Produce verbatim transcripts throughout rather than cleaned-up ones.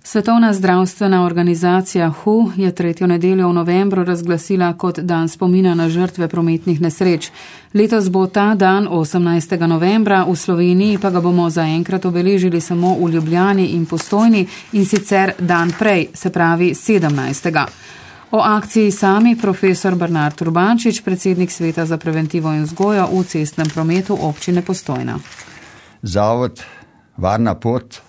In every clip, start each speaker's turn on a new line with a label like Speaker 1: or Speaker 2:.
Speaker 1: Svetovna zdravstvena organizacija W H O je tretjo nedeljo v novembru razglasila kot dan spomina na žrtve prometnih nesreč. Letos bo ta dan osemnajstega novembra, v Sloveniji pa ga bomo zaenkrat obeležili samo v Ljubljani in Postojni, in sicer dan prej, se pravi sedemnajstega. O akciji sami profesor Bernard Urbančič, predsednik Sveta za preventivo in vzgojo v cestnem prometu občine Postojna.
Speaker 2: Zavod Varna pot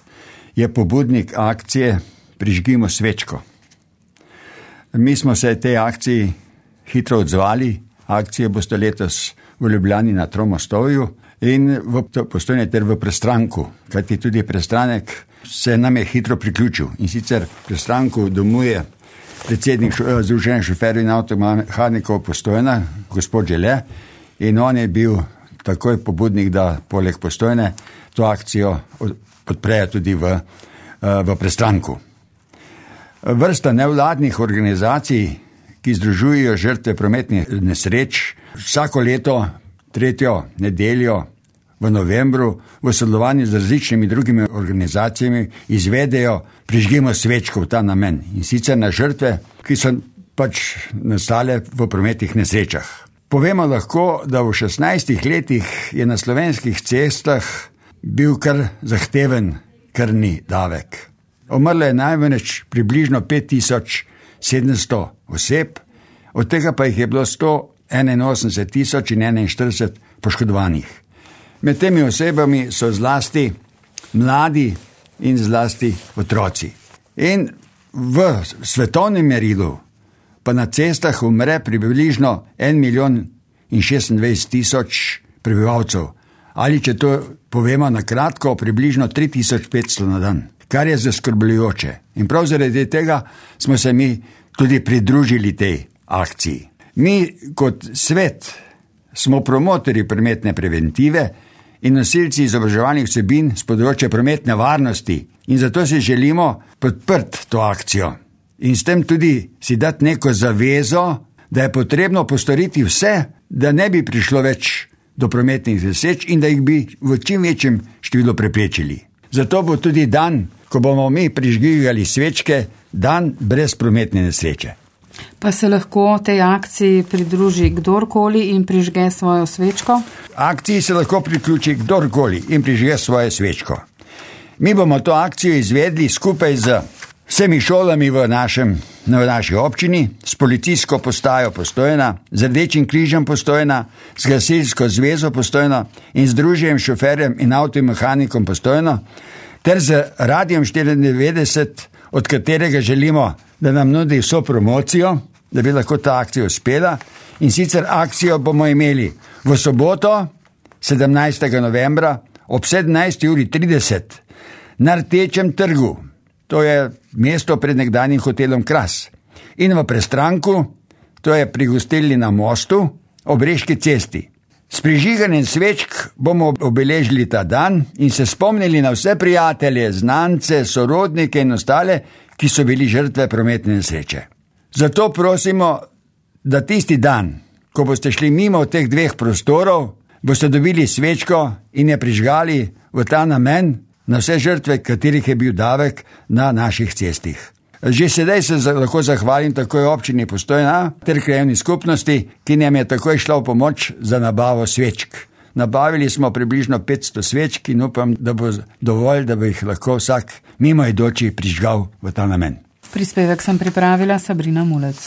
Speaker 2: je pobudnik akcije Prižgimo svečko. Mi smo se tej akciji hitro odzvali. Akcije boste letos v Ljubljani na Tromostovju in v Postojni ter v Prestranku, kajti tudi Prestranek se nam je hitro priključil. In sicer Prestranku domuje predsednik Združenja šoferjev in avtomehanikov Postojna, gospod Žele, in on je bil takoj pobudnik, da poleg Postojne to akcijo podprejo tudi v, v Prestranku. Vrsta nevladnih organizacij, ki združujejo žrtve prometnih nesreč, vsako leto, tretjo nedeljo v novembru, v sodelovanju z različnimi drugimi organizacijami izvedejo Prižgimo svečko v ta namen. In sicer na žrtve, ki so pač nastale v prometnih nesrečah. Povemo lahko, da v šestnajstih letih je na slovenskih cestah bil kar zahteven krvni davek. Umrlo je največ približno pet tisoč sedemsto oseb, od tega pa jih je bilo sto enainosemdeset tisoč enainštirideset poškodovanih. Med temi osebami so zlasti mladi in zlasti otroci. In v svetovnem merilu pa na cestah umre približno en milijon in šestindvajset tisoč prebivalcev. Ali če to povemo na kratko, približno tri tisoč petsto na dan, kar je zaskrbljujoče. In prav zaradi tega smo se mi tudi pridružili tej akciji. Mi kot svet smo promotorji prometne preventive in nosilci izobraževalnih vsebin z področja prometne varnosti in zato si želimo podpreti to akcijo. In s tem tudi si dati neko zavezo, da je potrebno postoriti vse, da ne bi prišlo več do prometnih nesreč in da jih bi v čim večjem številu preprečili. Zato bo tudi dan, ko bomo mi prižgigali svečke, dan brez prometne nesreče.
Speaker 1: Pa se lahko tej akciji pridruži kdorkoli in prižge svojo svečko?
Speaker 2: Akciji se lahko priključi kdorkoli in prižge svojo svečko. Mi bomo to akcijo izvedli skupaj z vsemi šolami v, našem, v naši občini, s policijsko postajo Postojna, z Rdečim križem Postojna, s Gasilsko zvezo Postojna in Združenjem šoferjem in avtomehanikom Postojna, ter z Radijem štiriindevetdeset, od katerega želimo, da nam nudi vso promocijo, da bi lahko ta akcija uspela. In sicer akcijo bomo imeli v soboto, sedemnajstega novembra, ob sedemnajsti uri trideset na Rdečem trgu. To je mesto pred nekdanjim hotelom Kras. In v Prestranku, to je pri gostilni na Mostu, ob Reški cesti. S prižiganjem svečk bomo obeležili ta dan in se spomnili na vse prijatelje, znance, sorodnike in ostale, ki so bili žrtve prometne nesreče. Zato prosimo, da tisti dan, ko boste šli mimo teh dveh prostorov, boste dobili svečko in je prižgali v ta namen na vse žrtve, katerih je bil davek na naših cestih. Že sedaj se lahko zahvalim takoj občini Postojna ter krajevni skupnosti, ki nam je takoj šla v pomoč za nabavo svečk. Nabavili smo približno petsto svečk in upam, da bo dovolj, da bo jih lahko vsak mimoidoči prižgal v ta namen.
Speaker 1: Prispevek sem pripravila Sabrina Mulec.